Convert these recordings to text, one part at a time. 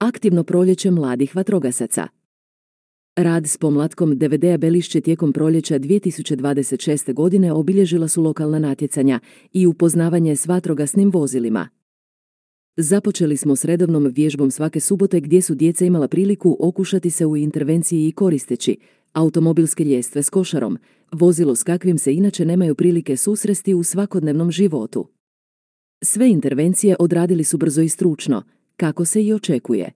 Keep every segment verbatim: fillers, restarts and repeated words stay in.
Aktivno proljeće mladih vatrogasaca. Rad s pomlatkom D V D-a Belišće tijekom proljeća dvije tisuće dvadeset šeste. godine obilježila su lokalna natjecanja i upoznavanje s vatrogasnim vozilima. Započeli smo s redovnom vježbom svake subote gdje su djeca imala priliku okušati se u intervenciji i koristeći automobilske ljestve s košarom, vozilo s kakvim se inače nemaju prilike susresti u svakodnevnom životu. Sve intervencije odradili su brzo i stručno, kako se i očekuje.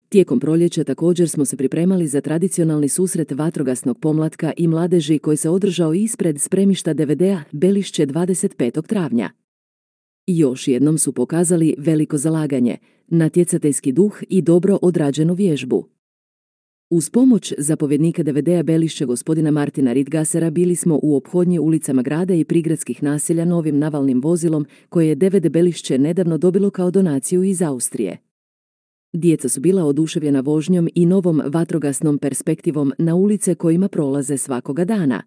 Tijekom proljeća također smo se pripremali za tradicionalni susret vatrogasnog pomlatka i mladeži koji se održao ispred spremišta D V D-a Belišće dvadeset petog travnja. Još jednom su pokazali veliko zalaganje, natjecateljski duh i dobro odrađenu vježbu. Uz pomoć zapovjednika D V D-a Belišće gospodina Martina Ritgasera bili smo u ophodnji ulicama grada i prigradskih naselja novim navalnim vozilom koje je D V D Belišće nedavno dobilo kao donaciju iz Austrije. Djeca su bila oduševljena vožnjom i novom vatrogasnom perspektivom na ulice kojima prolaze svakoga dana.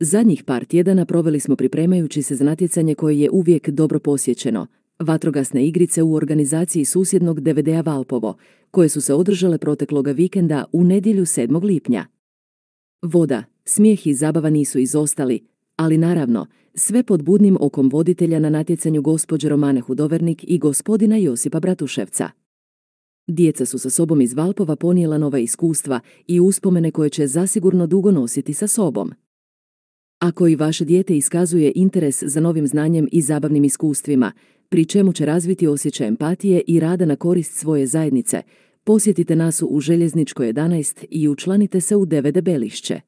Zadnjih par tjedana proveli smo pripremajući se za natjecanje koje je uvijek dobro posjećeno, vatrogasne igrice u organizaciji susjednog D V D-a Valpovo, koje su se održale protekloga vikenda u nedjelju sedmog lipnja. Voda, smijeh i zabava nisu izostali, ali naravno, sve pod budnim okom voditelja na natjecanju gospođe Romane Hudovernik i gospodina Josipa Bratuševca. Djeca su sa sobom iz Valpova ponijela nova iskustva i uspomene koje će zasigurno dugo nositi sa sobom. Ako i vaše dijete iskazuje interes za novim znanjem i zabavnim iskustvima, pri čemu će razviti osjećaj empatije i rada na korist svoje zajednice, posjetite nas u Željezničkoj jedanaest i učlanite se u D V D Belišće.